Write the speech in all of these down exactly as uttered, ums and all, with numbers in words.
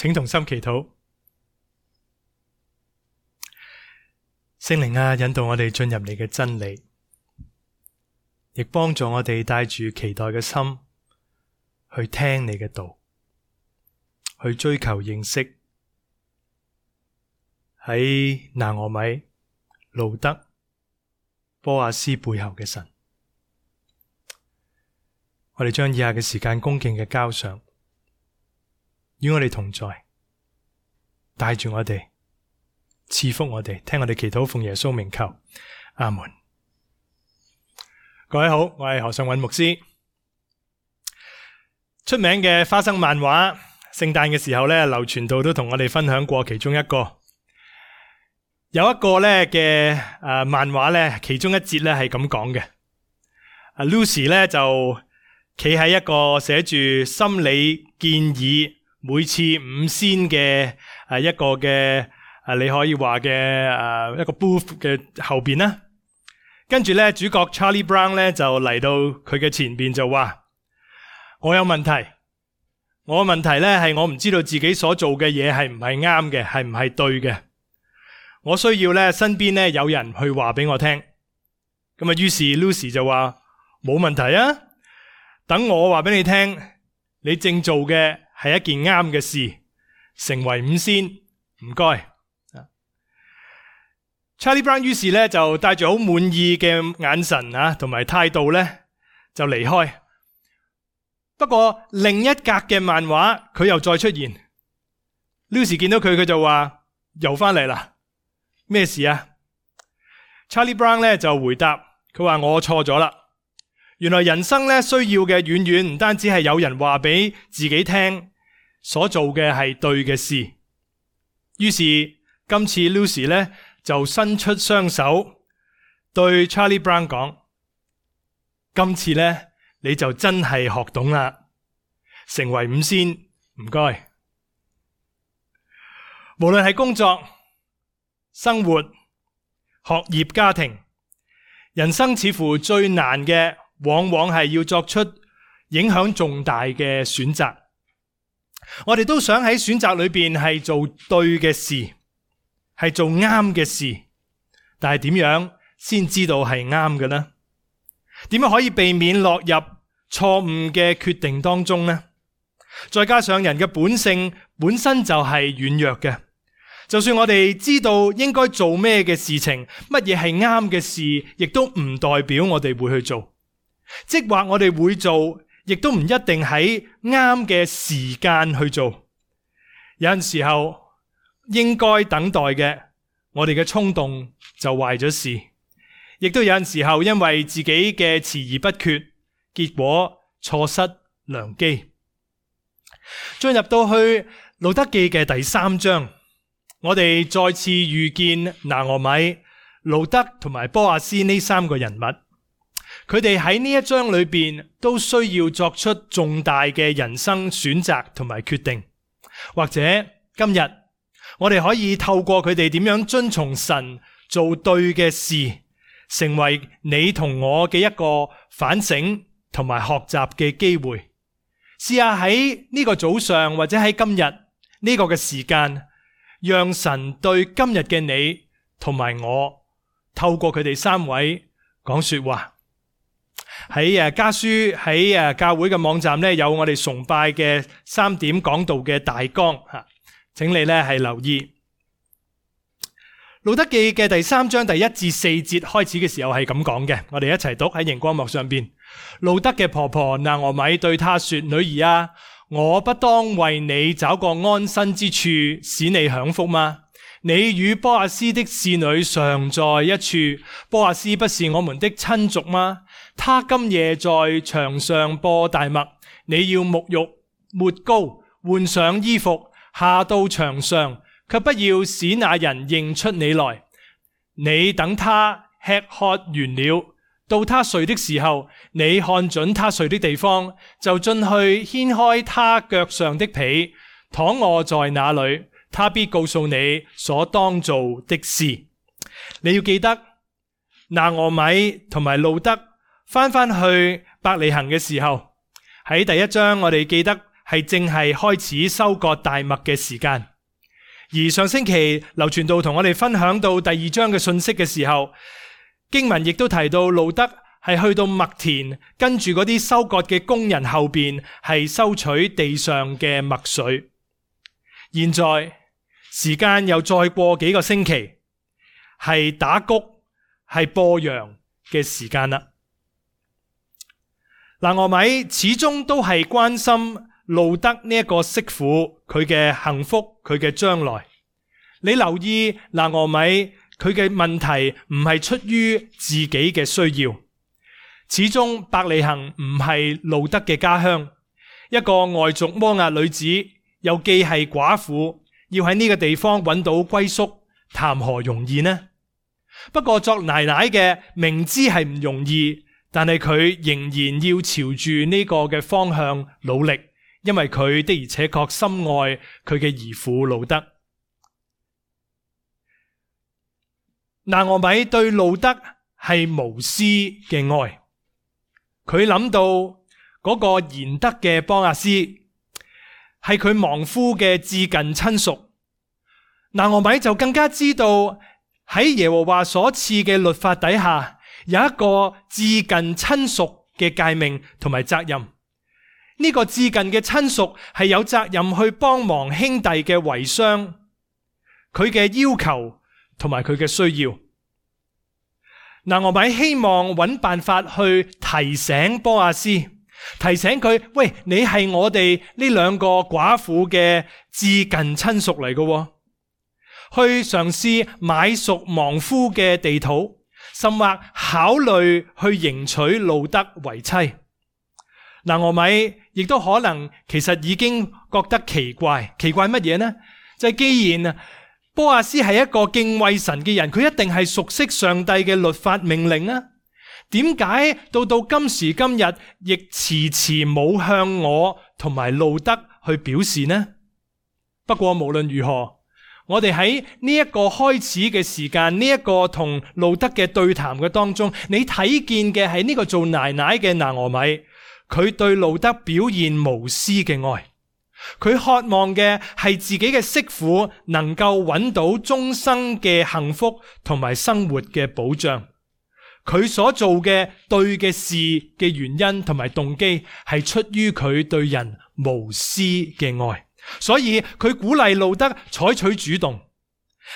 請同心祈禱。聖靈啊，引導我哋進入你嘅真理，亦幫助我哋帶住期待嘅心去聽你嘅道，去追求認識喺拿俄米、路德、波亞斯背後嘅神。我哋將以下嘅時間恭敬嘅交上，與我哋同在，帶住我哋，賜福我哋，聽我哋祈禱，奉耶穌名求，阿門。各位好，我係何尚韻牧師。出名嘅花生漫畫，聖誕嘅時候咧，劉傳道都同我哋分享過其中一個。有一個咧嘅誒漫畫咧，其中一節咧係咁講嘅。阿 Lucy 咧就企喺一個寫住心理建議每次五仙嘅誒一個嘅誒你可以話嘅誒一個 booth 嘅後邊啦。跟住咧主角 Charlie Brown 咧就嚟到佢嘅前邊就話：我有問題，我嘅問題咧係我唔知道自己所做嘅嘢係唔係啱嘅，係唔係對嘅。我需要咧身邊咧有人去話俾我聽。咁啊，於是 Lucy 就話：冇問題啊，等我話俾你聽，你正做嘅係一件啱嘅事，成為五仙，唔該。Charlie Brown 於是咧就帶住好滿意嘅眼神啊，同埋態度咧就離開。不過另一格嘅漫畫佢又再出現。Lucy 見到佢，佢就話：又翻嚟啦，咩事啊？ Charlie Brown 咧就回答，佢話：我錯咗啦。原來人生咧需要嘅遠遠唔單止係有人話俾自己聽，所做嘅係對嘅事。於是今次 Lucy 咧就伸出雙手對 Charlie Brown 講：今次咧你就真係學懂啦，成為五仙，唔該。無論係工作、生活、學業、家庭，人生似乎最難嘅往往係要作出影響重大嘅選擇。我哋都想喺選擇裏邊係做對嘅事，係做啱嘅事，但係點樣先知道係啱嘅呢？點樣可以避免落入錯誤嘅決定當中呢？再加上人嘅本性本身就係軟弱嘅，就算我哋知道應該做咩嘅事情，乜嘢係啱嘅事，亦都唔代表我哋會去做。即或我哋會做，亦都唔一定喺啱嘅時間去做。有陣時候應該等待嘅，我哋嘅衝動就壞咗事。亦都有陣時候因為自己嘅遲而不決，結果錯失良機。進入到去路德記嘅第三章，我哋再次遇見拿俄米、路德同埋波亞斯呢三個人物。佢哋喺呢一章裏邊都需要作出重大嘅人生選擇同埋決定。或者今日我哋可以透過佢哋點樣遵從神做對嘅事，成為你同我嘅一個反省同埋學習嘅機會。試下喺呢個早上或者喺今日呢個嘅時間，讓神對今日嘅你同埋我透過佢哋三位講說話。喺誒家書喺誒教會嘅網站咧，有我哋崇拜嘅三點講道嘅大綱吓，請你咧係留意。路德記嘅第三章第一至四節開始嘅時候係咁講嘅，我哋一齊讀喺熒光幕上邊。路德嘅婆婆拿俄米對他說：女兒啊，我不當為你找個安身之處，使你享福嗎？你與波亞斯的侍女常在一處，波亞斯不是我們的親族嗎？他今夜在牆上播大麥，你要沐浴、抹膏、換上衣服，下到牆上，卻不要使那人認出你來。你等他吃喝完了，到他睡的時候，你看準他睡的地方，就進去掀開他腳上的被，躺臥在那裏，他必告訴你所當做的事。你要記得，拿俄米同埋路德翻返去伯利恆嘅時候，喺第一章我哋記得係正係開始收割大麥嘅時間。而上星期劉傳道同我哋分享到第二章嘅信息嘅時候，經文亦都提到路得係去到麥田，跟住嗰啲收割嘅工人後邊係收取地上嘅麥穗。現在時間又再過幾個星期，係打穀係播羊嘅時間啦。拿俄米始終都係關心路得呢一個媳婦佢嘅幸福，佢嘅將來。你留意拿俄米佢嘅問題唔係出於自己嘅需要，始終伯利恆唔係路得嘅家鄉，一個外族摩押女子又既係寡婦，要喺呢個地方揾到歸宿，談何容易呢？不過作奶奶嘅明知係唔容易，但係佢仍然要朝住呢個嘅方向努力，因為佢的而且確深愛佢嘅兒婦路得。拿俄米對路得係無私嘅愛，佢諗到嗰個賢德嘅波阿斯係佢亡夫嘅至近親屬，拿俄米就更加知道喺耶和華所賜嘅律法底下，有一個至近親屬嘅誡命同埋責任。呢個至近嘅親屬係有責任去幫忙兄弟嘅遺孀，佢嘅要求同埋佢嘅需要。拿俄米希望揾辦法去提醒波阿斯，提醒佢，喂，你係我哋呢兩個寡婦嘅至近親屬嚟嘅，去嘗試買贖亡夫嘅地土，甚或考慮去迎娶路得為妻。拿俄米亦都可能其實已經覺得奇怪，奇怪乜嘢呢？就係既然波阿斯係一個敬畏神嘅人，佢一定係熟悉上帝嘅律法命令啊。點解到到今時今日亦遲遲冇向我同埋路得去表示呢？不過無論如何，我哋喺呢一個開始嘅時間，呢一個同路得嘅對談嘅當中，你睇見嘅係呢個做奶奶嘅拿俄米，佢對路得表現無私嘅愛。佢渴望嘅係自己嘅媳婦能夠揾到終生嘅幸福同埋生活嘅保障。佢所做嘅對嘅事嘅原因同埋動機係出於佢對人無私嘅愛，所以佢鼓勵路得採取主動。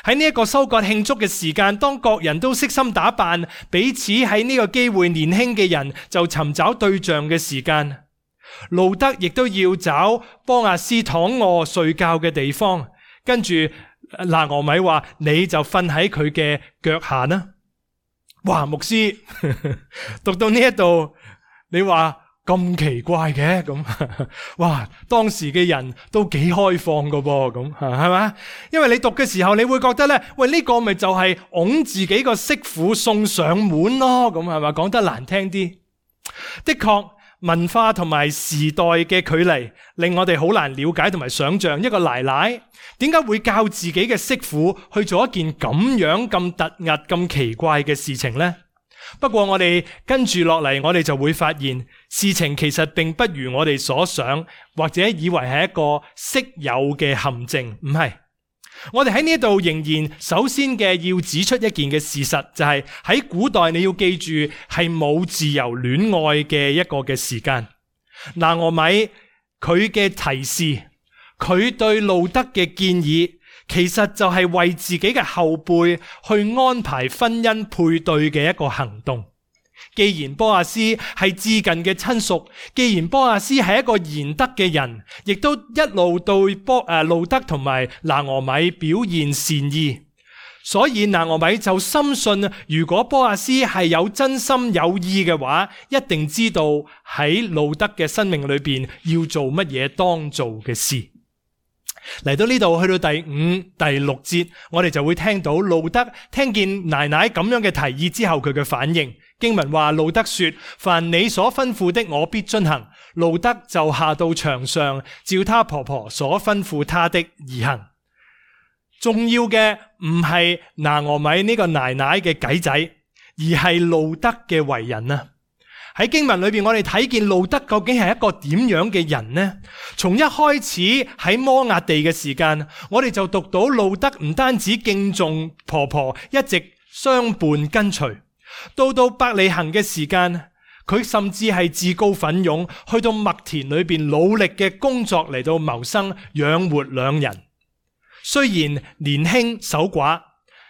喺呢一個收割慶祝嘅時間，當各人都悉心打扮，彼此喺呢個機會，年輕嘅人就尋找對象嘅時間，路得亦都要找波阿斯躺臥睡覺嘅地方，跟住拿俄米話，你就瞓喺佢嘅腳下啦。哇，牧師讀到呢一度，你話咁奇怪嘅咁，哇，當時嘅人都幾開放噶噃，咁係嘛？因為你讀嘅時候，你會覺得咧，喂，呢個咪就係拱自己個媳婦送上門咯，咁係嘛？講得難聽啲，的確。文化同埋時代嘅距離令我哋好難了解同埋想象，一個奶奶點解會教自己嘅媳婦去做一件咁樣咁突兀咁奇怪嘅事情呢？不過我哋跟住落嚟，我哋就會發現事情其實並不如我哋所想，或者以為係一個昔有嘅陷阱，唔係。我哋喺呢度仍然首先嘅要指出一件嘅事實，就係喺古代你要記住係冇自由戀愛嘅一個嘅時間。拿俄米佢嘅提示，佢對路得嘅建議，其實就係為自己嘅後輩去安排婚姻配對嘅一個行動。既然波阿斯係至近嘅親屬，既然波阿斯係一個賢德嘅人，亦都一路對波誒路得同埋拿俄米表現善意，所以拿俄米就深信，如果波阿斯係有真心有意嘅話，一定知道喺路得嘅生命裏邊要做乜嘢當做嘅事。嚟到呢度，去到第五、第六節，我哋就會聽到路得聽見奶奶咁樣嘅提議之後，佢嘅反應。經文話，路得說，凡你所吩咐的，我必遵行。路得就下到場上，照他婆婆所吩咐他的而行。重要嘅唔係拿俄米呢個奶奶嘅計仔，而係路得嘅為人啊！喺經文裏邊，我哋睇見路德究竟係一個點樣嘅人呢？從一開始喺摩押地嘅時間，我哋就讀到路德唔單止敬重婆婆，一直相伴跟隨。到到伯利恆嘅時間，佢甚至係自告奮勇，去到麥田裏邊努力嘅工作嚟到謀生，養活兩人。雖然年輕守寡，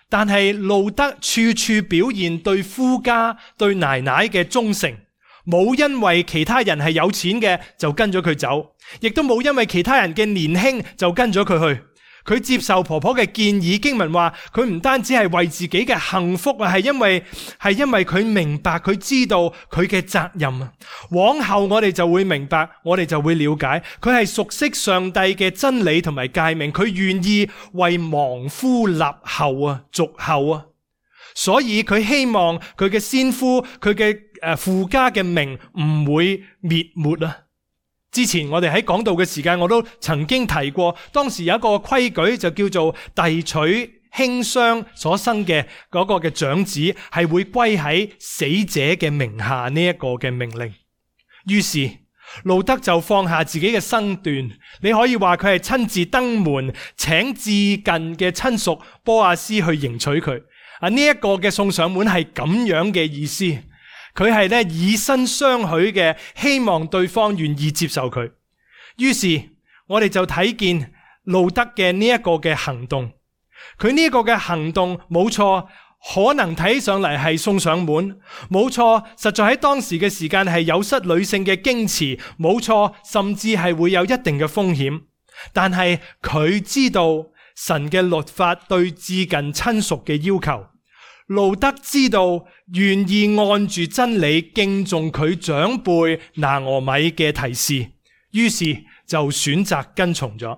但係路德處處表現對夫家、對奶奶嘅忠誠。冇因為其他人係有錢嘅就跟咗佢走，亦都冇因為其他人嘅年輕就跟咗佢去。佢接受婆婆嘅建議，經文話佢唔單止係為自己嘅幸福啊，係因為係因為佢明白，佢知道佢嘅責任啊。往後我哋就會明白，我哋就會了解，佢係熟悉上帝嘅真理同埋誡命，佢願意為亡夫立後啊，續後啊。所以佢希望佢嘅先夫，佢嘅誒父家嘅名唔會滅沒啊。之前我哋喺講道嘅時間，我都曾經提過，當時有一個規矩就叫做遞取兄雙所生嘅嗰個嘅長子係會歸喺死者嘅名下呢一個嘅命令。於是路德就放下自己嘅身段，你可以話佢係親自登門請至近嘅親屬波阿斯去迎娶佢。啊，呢一個嘅送上門係咁樣嘅意思。佢係咧以身相許嘅，希望對方願意接受佢。於是我哋就睇見路德嘅呢一個嘅行動，佢呢一個嘅行動冇錯，可能睇上嚟係送上門，冇錯，實在喺當時嘅時間係有失女性嘅矜持，冇錯，甚至係會有一定嘅風險。但係佢知道神嘅律法對至近親屬嘅要求。路德知道願意按住真理敬重佢長輩拿俄米嘅提示，於是就選擇跟從咗。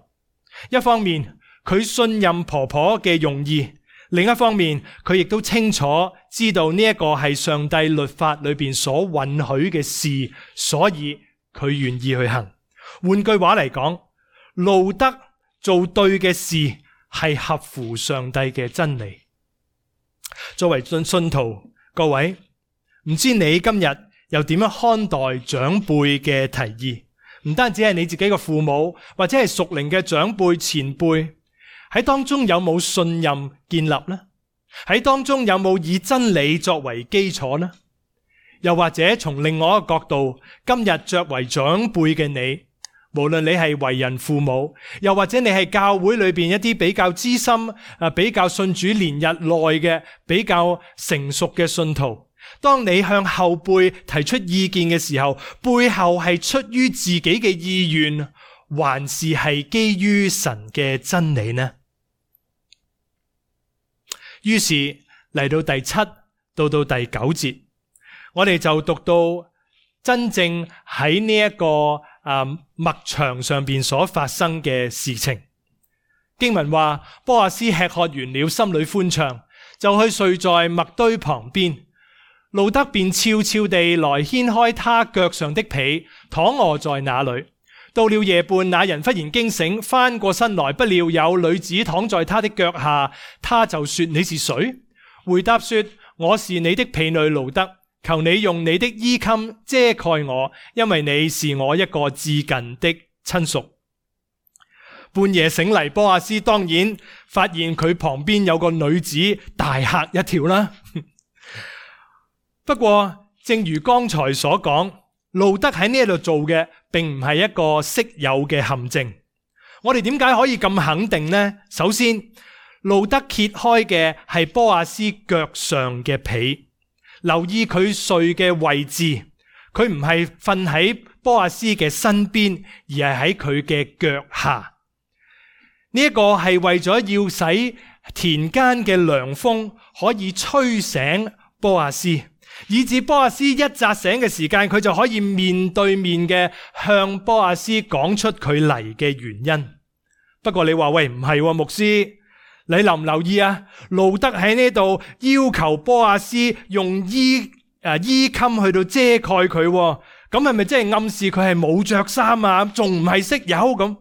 一方面佢信任婆婆嘅用意，另一方面佢亦都清楚知道呢一個係上帝律法裏邊所允許嘅事，所以佢願意去行。換句話嚟講，路德做對嘅事係合乎上帝嘅真理。作為信信徒，各位，唔知你今日又點樣看待長輩嘅提議？唔單止係你自己嘅父母，或者係屬靈嘅長輩前輩，喺當中有冇信任建立呢？喺當中有冇以真理作為基礎呢？又或者從另外一個角度，今日作為長輩嘅你，無論你係為人父母，又或者你係教會裏邊一啲比較資深、啊比較信主年日內嘅比較成熟嘅信徒，當你向後輩提出意見嘅時候，背後係出於自己嘅意願，還是係基於神嘅真理呢？於是嚟到第七到到第九節，我哋就讀到真正喺呢一個啊麥場上邊所發生嘅事情。經文話，波阿斯吃喝完了，心裏歡暢，就去睡在麥堆旁邊。路德便悄悄地來掀開他腳上的被，躺臥在那裏。到了夜半，那人忽然驚醒，翻過身來，不料有女子躺在他的腳下，他就說：你是誰？回答說：我是你的婢女路德，求你用你的衣襟遮蓋我，因為你是我一個至近的親屬。半夜醒嚟，波阿斯當然發現佢旁邊有個女子，大嚇一跳啦。不過正如剛才所講，路德喺呢度做嘅並唔係一個識有嘅陷阱。我哋點解可以咁肯定呢？首先，路德揭開嘅係波阿斯腳上嘅被，留意佢睡嘅位置，佢唔係瞓喺波阿斯嘅身邊，而係喺佢嘅腳下。呢一個係為咗要使田間嘅涼風可以吹醒波阿斯，以至波阿斯一扎醒嘅時間，佢就可以面對面嘅向波阿斯講出佢嚟嘅原因。不過你話喂，唔係喎，牧師，你留唔留意啊？路德喺呢度要求波阿斯用衣誒衣襟去到遮蓋佢，咁係咪即係暗示佢係冇着衫啊？仲唔係識友咁？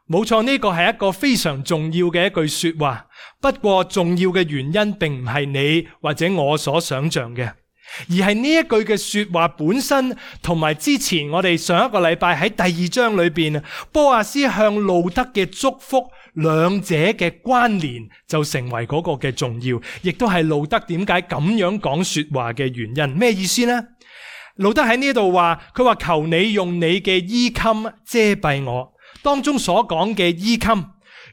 冇錯，呢個係一個非常重要嘅一句說話。不過重要嘅原因並唔係你或者我所想象嘅，而係呢一句嘅說話本身，同埋之前我哋上一個禮拜喺第二章裏邊，波阿斯向路德嘅祝福，兩者嘅關聯就成為嗰個嘅重要，亦都係路德點解咁樣講說話嘅原因。咩意思呢？路德喺呢度話，佢話求你用你嘅衣襟遮蔽我。當中所講嘅衣襟，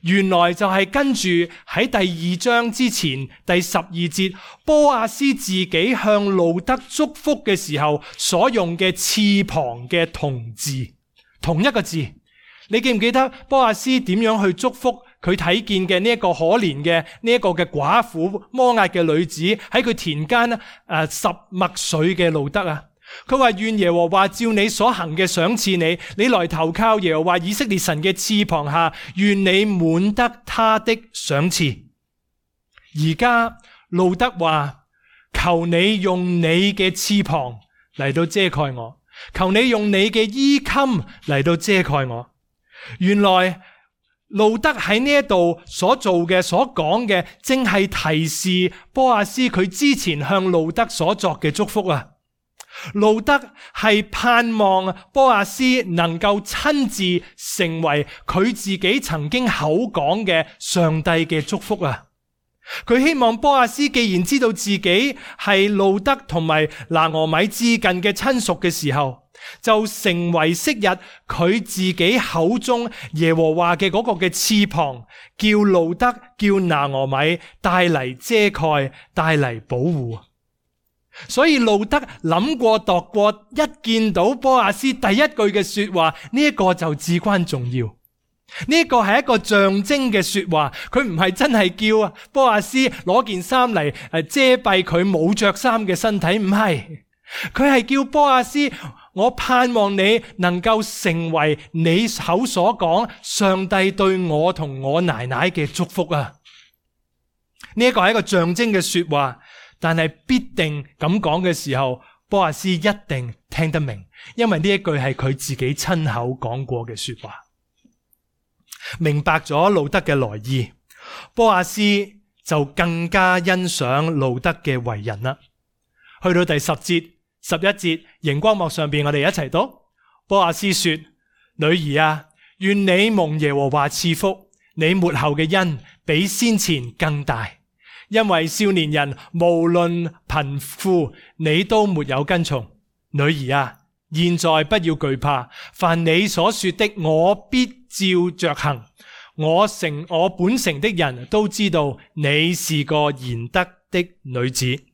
原來就係跟住喺第二章之前第十二節，波阿斯自己向路德祝福嘅時候所用嘅翅膀嘅同字，同一個字。你記唔記得波阿斯點樣去祝福佢睇見嘅呢一個可憐嘅呢一個嘅寡婦摩押嘅女子喺佢田間誒、呃、拾麥穗嘅路德啊？佢話願耶和華照你所行嘅賞賜你，你來投靠耶和華以色列神嘅翅膀下，願你滿得他的賞賜。而家路德話，求你用你嘅翅膀嚟到遮蓋我，求你用你嘅衣襟嚟到遮蓋我。原來路德喺呢一度所做嘅所講嘅，正係提示波阿斯佢之前向路德所作嘅祝福啊。路德係盼望波阿斯能夠親自成為佢自己曾經口講嘅上帝嘅祝福啊！佢希望波阿斯既然知道自己係路德同埋拿俄米至近嘅親屬嘅時候，就成為昔日佢自己口中耶和華嘅嗰個嘅翅膀，叫路德叫拿俄米帶嚟遮蓋，帶嚟保護。所以路德諗過度過，一見到波阿斯第一句嘅說話，呢一個就至關重要。呢一個係一個象徵嘅說話，佢唔係真係叫波阿斯攞件衫嚟誒遮蔽佢冇着衫嘅身體，唔係，佢係叫波阿斯，我盼望你能夠成為你口所講上帝對我同我奶奶嘅祝福啊！呢一個係一個象徵嘅說話。但係必定咁講嘅時候，波阿斯一定聽得明，因為呢一句係佢自己親口講過嘅說話。明白咗路德嘅來意，波阿斯就更加欣賞路德嘅為人啦。去到第十節、十一節，熒光幕上邊我哋一齊讀。波阿斯說：女兒啊，願你蒙耶和華賜福，你末後嘅恩比先前更大。因為少年人無論貧富，你都沒有跟從。女兒啊，現在不要懼怕，凡你所說的，我必照着行。我城我本城的人都知道你是個賢德的女子。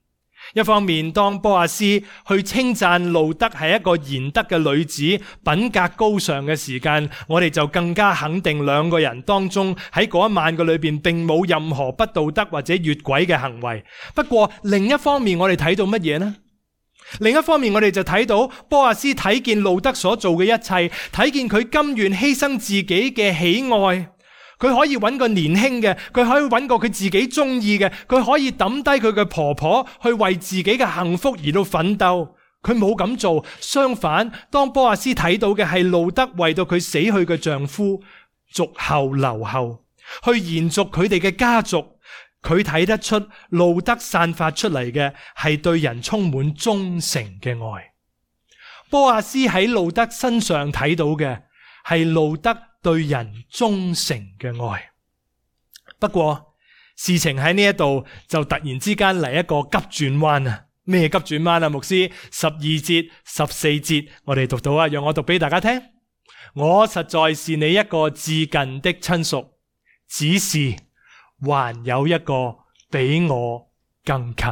一方面，當波阿斯去稱讚路德係一個賢德嘅女子，品格高尚嘅時間，我哋就更加肯定兩個人當中喺嗰一晚嘅裏邊並冇任何不道德或者越軌嘅行為。不過另一方面，我哋睇到乜嘢呢？另一方面，我哋就睇到波阿斯睇見路德所做嘅一切，睇見佢甘願犧牲自己嘅喜愛。佢可以揾個年輕嘅，佢可以揾個佢自己中意嘅，佢可以抌低佢嘅婆婆去為自己嘅幸福而到奮鬥。佢冇咁做，相反，當波阿斯睇到嘅係路德為到佢死去嘅丈夫續後留後，去延續佢哋嘅家族，佢睇得出路德散發出嚟嘅係對人充滿忠誠嘅愛。波阿斯喺路德身上睇到嘅係路德對人忠誠嘅愛。不過事情喺呢一度就突然之間嚟一個急轉彎啊！咩急轉彎啊？牧師，十二節、十四節我哋讀到啊，讓我讀俾大家聽。我實在是你一個至近的親屬，只是還有一個比我更近。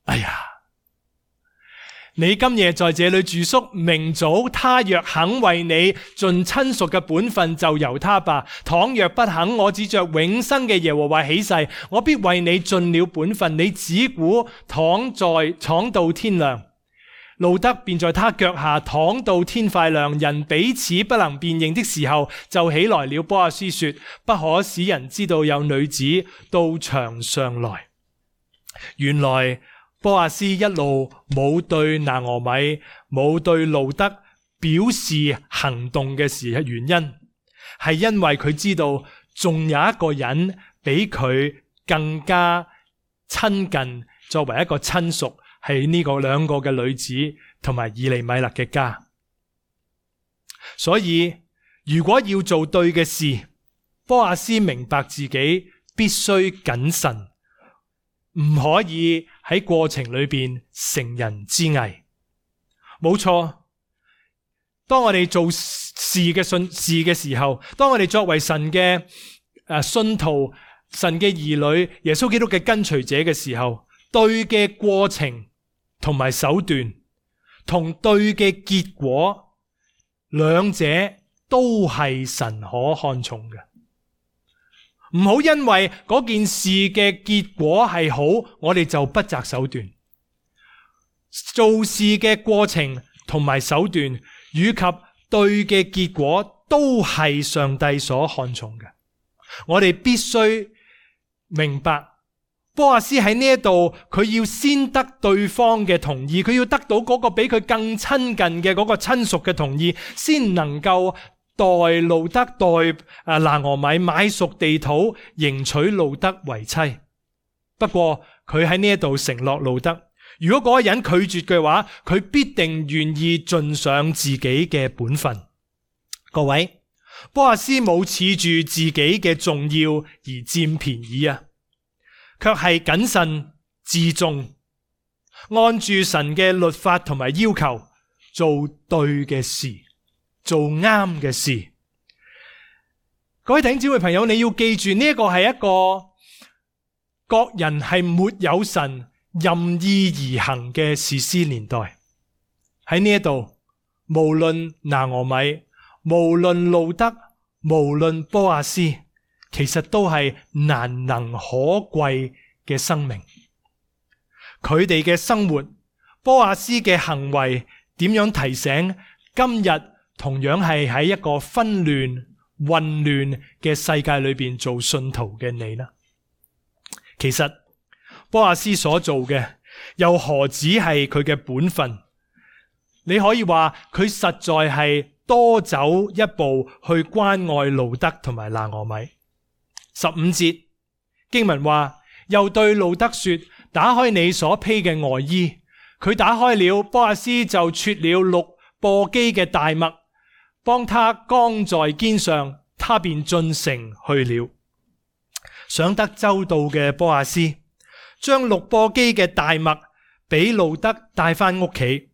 哎呀！你今夜在這裏住宿，明早他若肯為你盡親屬嘅本分，就由他吧。倘若不肯，我指着永生嘅耶和華起誓，我必為你盡了本分。你只管躺在躺到天亮。路德便在他腳下躺到天快亮，人彼此不能辨認的時候，就起來了。波阿斯說：不可使人知道有女子到場上來。原來波阿斯一路冇對拿俄米冇對路德表示行動嘅時候，原因係因為佢知道仲有一個人比佢更加親近，作為一個親屬係呢個兩個嘅女子同埋以利米勒嘅家。所以如果要做對嘅事，波阿斯明白自己必須謹慎，唔可以喺過程裏邊乘人之危。冇錯，當我哋做事嘅信事嘅時候，當我哋作為神嘅誒信徒、神嘅兒女、耶穌基督嘅跟隨者嘅時候，對嘅過程同埋手段同對嘅結果，兩者都係神可看重嘅。唔好因為嗰件事嘅結果係好，我哋就不擇手段。做事嘅過程同埋手段以及對嘅結果都係上帝所看重嘅。我哋必須明白，波阿斯喺呢一度，佢要先得對方嘅同意，佢要得到嗰個比佢更親近嘅嗰個親屬嘅同意，先能夠代路得代啊拿俄米買贖地土，迎娶路得為妻。不過佢喺呢一度承諾路得，如果嗰個人拒絕嘅話，佢必定願意盡上自己嘅本分。各位，波阿斯冇恃住自己嘅重要而佔便宜啊，卻係謹慎自重，按住神嘅律法同埋要求做對嘅事，做啱嘅事。各位弟兄姊妹朋友，你要記住呢一個係一個各人係沒有神任意而行嘅士師年代。喺呢一度，無論拿俄米，無論路得，無論波阿斯，其實都係難能可貴嘅生命。佢哋嘅生活，波阿斯嘅行為，點樣提醒今日同樣係喺一個紛亂混亂嘅世界裏邊做信徒嘅你呢？其實波阿斯所做嘅又何止係佢嘅本分？你可以話佢實在係多走一步去關愛路得同埋拿俄米。十五節經文話，又對路得說，打開你所披嘅外衣。佢打開了，波阿斯就撮了六簸箕嘅大麥，幫他扛在肩上，他便進城去了。想得周到嘅波阿斯將六簸箕嘅大麥俾路得帶翻屋企，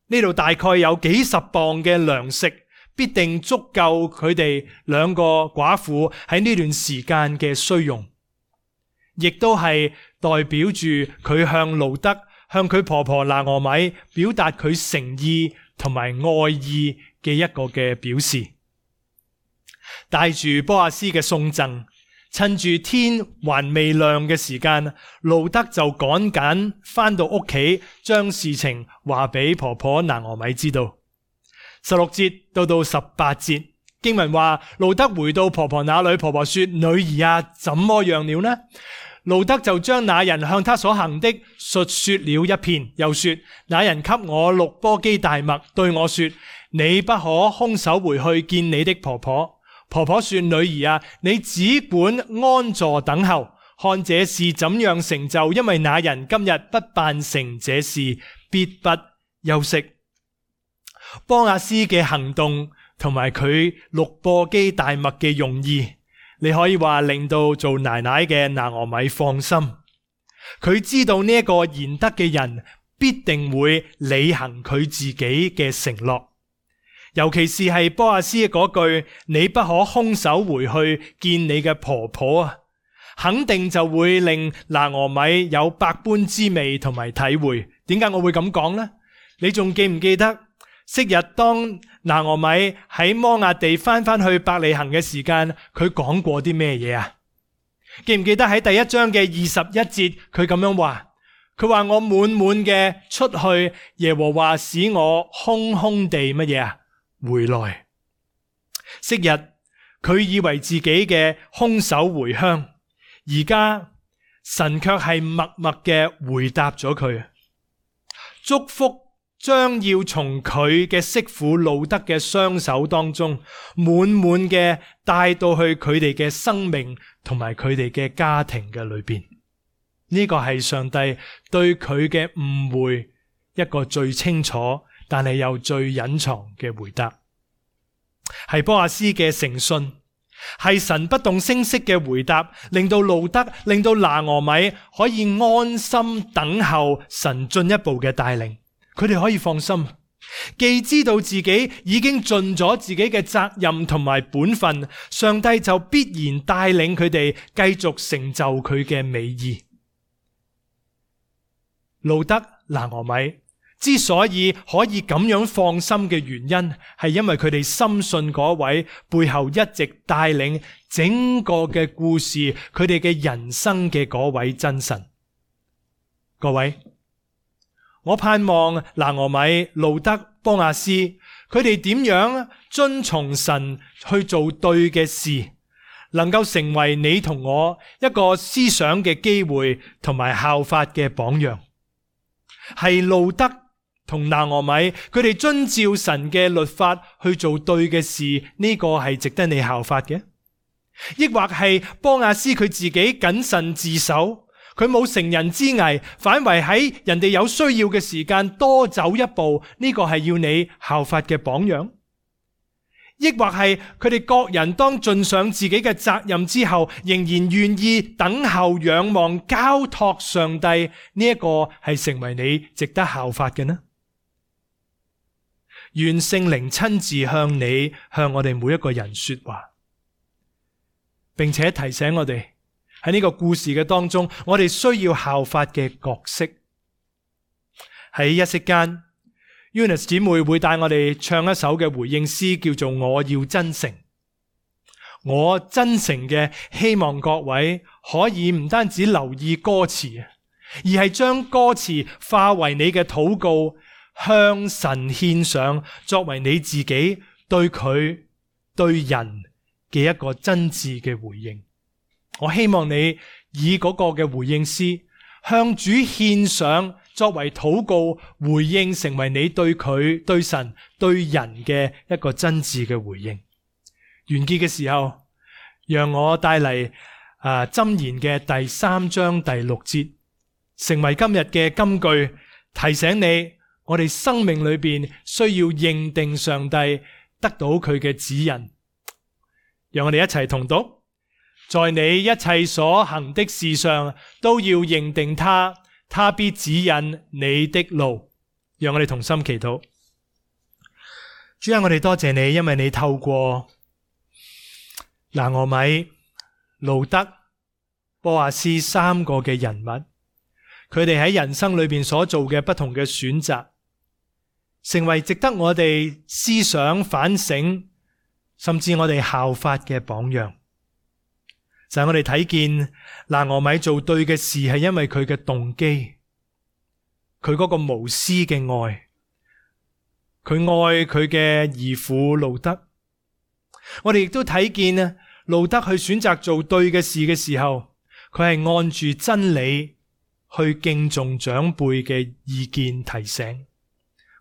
呢度大概有幾十磅嘅糧食，必定足夠佢哋兩個寡婦喺呢段時間嘅需用，亦都係代表住佢向路得、向佢婆婆拿俄米表達佢誠意同埋愛意嘅一個嘅表示。帶住波阿斯嘅送贈，趁住天還未亮嘅時間，路得就趕緊翻到屋企，將事情話俾婆婆拿俄米知道。十六節到到十八節經文話，路得回到婆婆那裏，婆婆說，女兒啊，怎麼樣了呢？路得就將那人向他所行的述說了一遍，又說，那人給我六簸箕大麥，對我說，你不可空手回去見你的婆婆。婆婆說，女兒啊，你只管安坐等候，看這事怎樣成就，因為那人今日不辦成這事，必不休息。波阿斯嘅行動同埋佢六簸箕大麥嘅用意，你可以話令到做奶奶嘅拿俄米放心。佢知道呢一個賢德嘅人必定會履行佢自己嘅承諾，尤其是係波阿斯嗰句，你不可空手回去見你嘅婆婆啊，肯定就會令拿俄米有百般滋味同埋體會。點解我會咁講呢？你仲記唔記得昔日當拿俄米喺摩押地翻翻去伯利恆嘅時間，佢講過啲咩嘢啊？記唔記得喺第一章嘅二十一節，佢咁樣話，佢話我滿滿嘅出去，耶和華使我空空地乜嘢啊？回來。昔日佢以為自己嘅空手回鄉，而家神卻係默默嘅回答咗佢，祝福將要從佢嘅媳婦路得嘅雙手當中滿滿嘅帶到去佢哋嘅生命同埋佢哋嘅家庭嘅裏邊。呢個係上帝對佢嘅誤會一個最清楚，但係又最隱藏嘅回答。係波阿斯嘅誠信，係神不動聲色嘅回答，令到路得、令到拿俄米可以安心等候神進一步嘅帶領。佢哋可以放心，既知道自己已經盡咗自己嘅責任同埋本分，上帝就必然帶領佢哋繼續成就佢嘅美意。路得、拿俄米之所以可以咁樣放心嘅原因，係因為佢哋深信嗰位背後一直帶領整個嘅故事，佢哋嘅人生嘅嗰位真神。各位，我盼望拿俄米、路得、波阿斯，佢哋點樣遵從神去做對嘅事，能夠成為你同我一個思想嘅機會同埋效法嘅榜樣。係路得同拿俄米，佢哋遵照神嘅律法去做對嘅事，呢個係值得你效法嘅。抑或係波阿斯佢自己謹慎自守，佢冇乘人之危，反為喺人哋有需要嘅時間多走一步，呢個係要你效法嘅榜樣。抑或係佢哋各人當盡上自己嘅責任之後，仍然願意等候、仰望、交託上帝，呢一個係成為你值得效法嘅呢？願聖靈親自向你、向我哋每一個人說話，並且提醒我哋喺呢個故事嘅當中，我哋需要效法嘅角色。喺一息間，Eunice 姊妹會帶我哋唱一首嘅回應詩，叫做《我要真誠》。我真誠嘅希望各位可以唔單止留意歌詞，而係將歌詞化為你嘅禱告，向神獻上，作為你自己對佢、對人嘅一個真摯嘅回應。我希望你以嗰個嘅回應詩向主獻上，作為禱告回應，成為你對佢、對神、對人嘅一個真摯嘅回應。完結嘅時候，讓我帶嚟啊箴言嘅第三章第六節，成為今日嘅金句，提醒你我哋生命裏邊需要認定上帝，得到佢嘅指引。讓我哋一齊同讀：在你一切所行的事上，都要認定他，他必指引你的路。讓我哋同心祈禱。主啊，我哋多謝你，因為你透過拿俄米、路得、波阿斯三個嘅人物，佢哋喺人生裏邊所做嘅不同嘅選擇，成為值得我哋思想反省，甚至我哋效法嘅榜樣。就係我哋睇見拿俄米做對嘅事，係因為佢嘅動機，佢嗰個無私嘅愛，佢愛佢嘅兒婦路得。我哋亦都睇見啊，路得去選擇做對嘅事嘅時候，佢係按住真理去敬重長輩嘅意見提醒，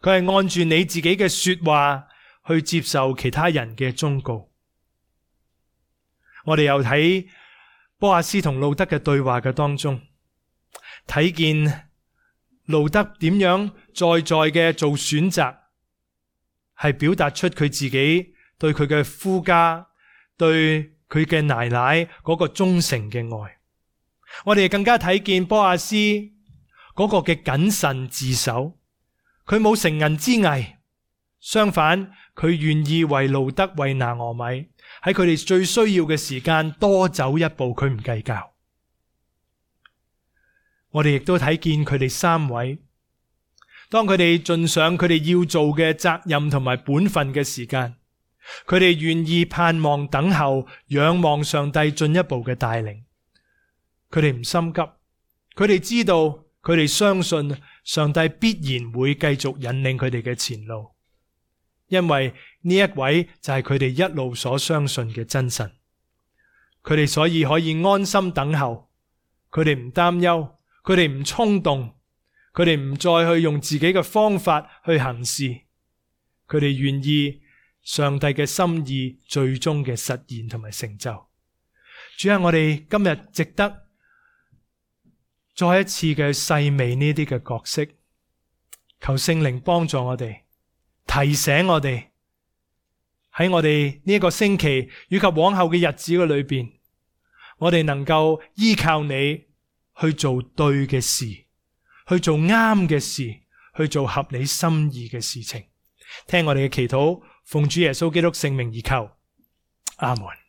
佢係按住你自己嘅說話去接受其他人嘅忠告。我哋又睇波阿斯同路得嘅對話嘅當中，睇見路得點樣在在嘅做選擇，係表達出佢自己對佢嘅夫家、對佢嘅奶奶嗰個忠誠嘅愛。我哋更加睇見波阿斯嗰個嘅謹慎自守，佢冇乘人之危，相反佢願意為路得、為拿俄米喺佢哋最需要嘅時間多走一步，佢唔計較。我哋亦都睇見佢哋三位，當佢哋盡上佢哋要做嘅責任同埋本分嘅時間，佢哋願意盼望等候，仰望上帝進一步嘅帶領。佢哋唔心急，佢哋知道，佢哋相信上帝必然會繼續引領佢哋嘅前路，因為呢一位就係佢哋一路所相信嘅真神。佢哋所以可以安心等候，佢哋唔擔憂，佢哋唔衝動，佢哋唔再去用自己嘅方法去行事，佢哋願意上帝嘅心意最終嘅實現同埋成就。主啊，我哋今日值得再一次嘅細味呢啲嘅角色。求聖靈幫助我哋，提醒我哋喺我哋呢一個星期以及往後嘅日子嘅裏邊，我哋能夠依靠你去做對嘅事，去做啱嘅事，去做合你心意嘅事情。聽我哋嘅祈禱，奉主耶穌基督聖名而求，阿門。